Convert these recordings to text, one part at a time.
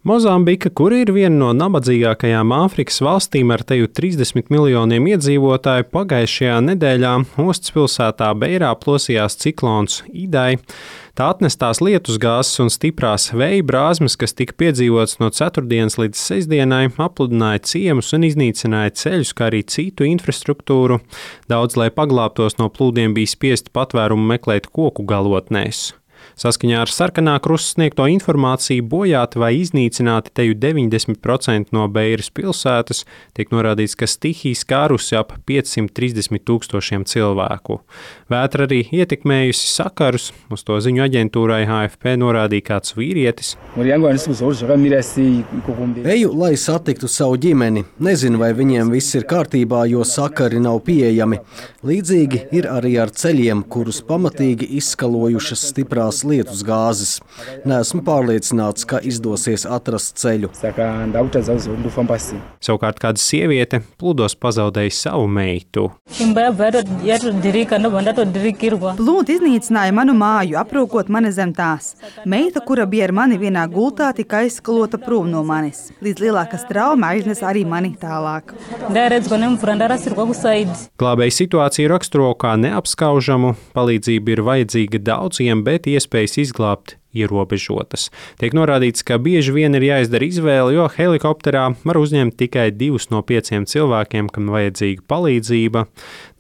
Mozambika, kur ir viena no nabadzīgākajām Āfrikas valstīm ar teju 30 miljoniem iedzīvotāju, pagājušajā nedēļā ostas pilsētā Beirā plosījās ciklons Idai. Tā atnestās lietusgāzes un stiprās vēja brāzmas, kas tika piedzīvotas no ceturtdienas līdz sestdienai, apludināja ciemus un iznīcināja ceļus, kā arī citu infrastruktūru. Daudz, lai paglābtos no plūdiem, bija spiesti patvērumu meklēt koku galotnēs. Saskaņā ar Sarkanā krusta sniegto informāciju bojāti vai iznīcināti teju 90% no Beiras pilsētas, tiek norādīts, ka stihija skārusi ap 530 000 cilvēku. Vētra arī ietekmējusi sakarus, uz to ziņu aģentūrai AFP norādīja kāds vīrietis. Eju, lai satiktu savu ģimeni. Nezinu, vai viņiem viss ir kārtībā, jo sakari nav pieejami. Līdzīgi ir arī ar ceļiem, kurus pamatīgi izskalojušas stiprās lietusgāzes. Neesmu pārliecināts, ka izdosies atrast ceļu. Savukārt kāda sieviete plūdos pazaudēja savu meitu. Plūdi iznīcināja manu māju, aprūkot mani zem tās. Meita, kura bija ar mani vienā gultā, tika aizskalota prom no manis. Līdz lielākas trauma aiznes arī mani tālāk. Glābēji situāciju raksturo kā neapskaužamu, palīdzība ir vajadzīga daudziem, bet iespējas izglābt ierobežotas. Tiek norādīts, ka bieži vien ir jāizdara izvēle, jo helikopterā var uzņemt tikai 2 no 5 cilvēkiem, kam vajadzīga palīdzība.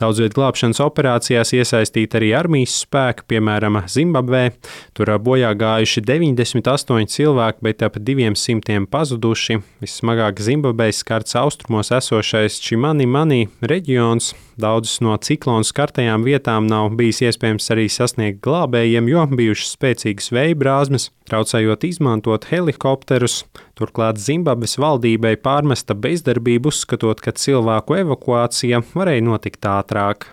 Daudzviet glābšanas operācijās iesaistīti arī armijas spēki, piemēram, Zimbabvē. Tur bojā gājuši 98 cilvēki, bet ap 200 pazuduši. Vissmagāk Zimbabvē skarts austrumos esošais Čimani reģions. Daudzas no ciklonu skartajām vietām nav bijis iespējams arī sasniegt glābējiem, jo bijušas spēcīgas vēja brāzmas, traucējot izmantot helikopterus. Turklāt Zimbabves valdībai pārmesta bezdarbība, uzskatot, ka cilvēku evakuācija varēja notikt ātrāk.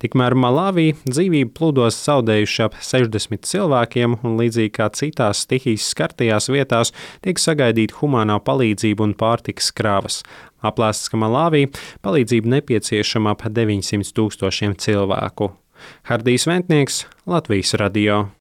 Tikmēr Malavī dzīvību plūdos zaudējuši ap 60 cilvēkiem, un līdzīgi kā citās stihijas skartajās vietās tiek sagaidīta humānā palīdzība un pārtikas krāvas. Aplēsts, ka Malavī palīdzība nepieciešama ap 900 000 cilvēku. Hardijs Ventnieks, Latvijas radio.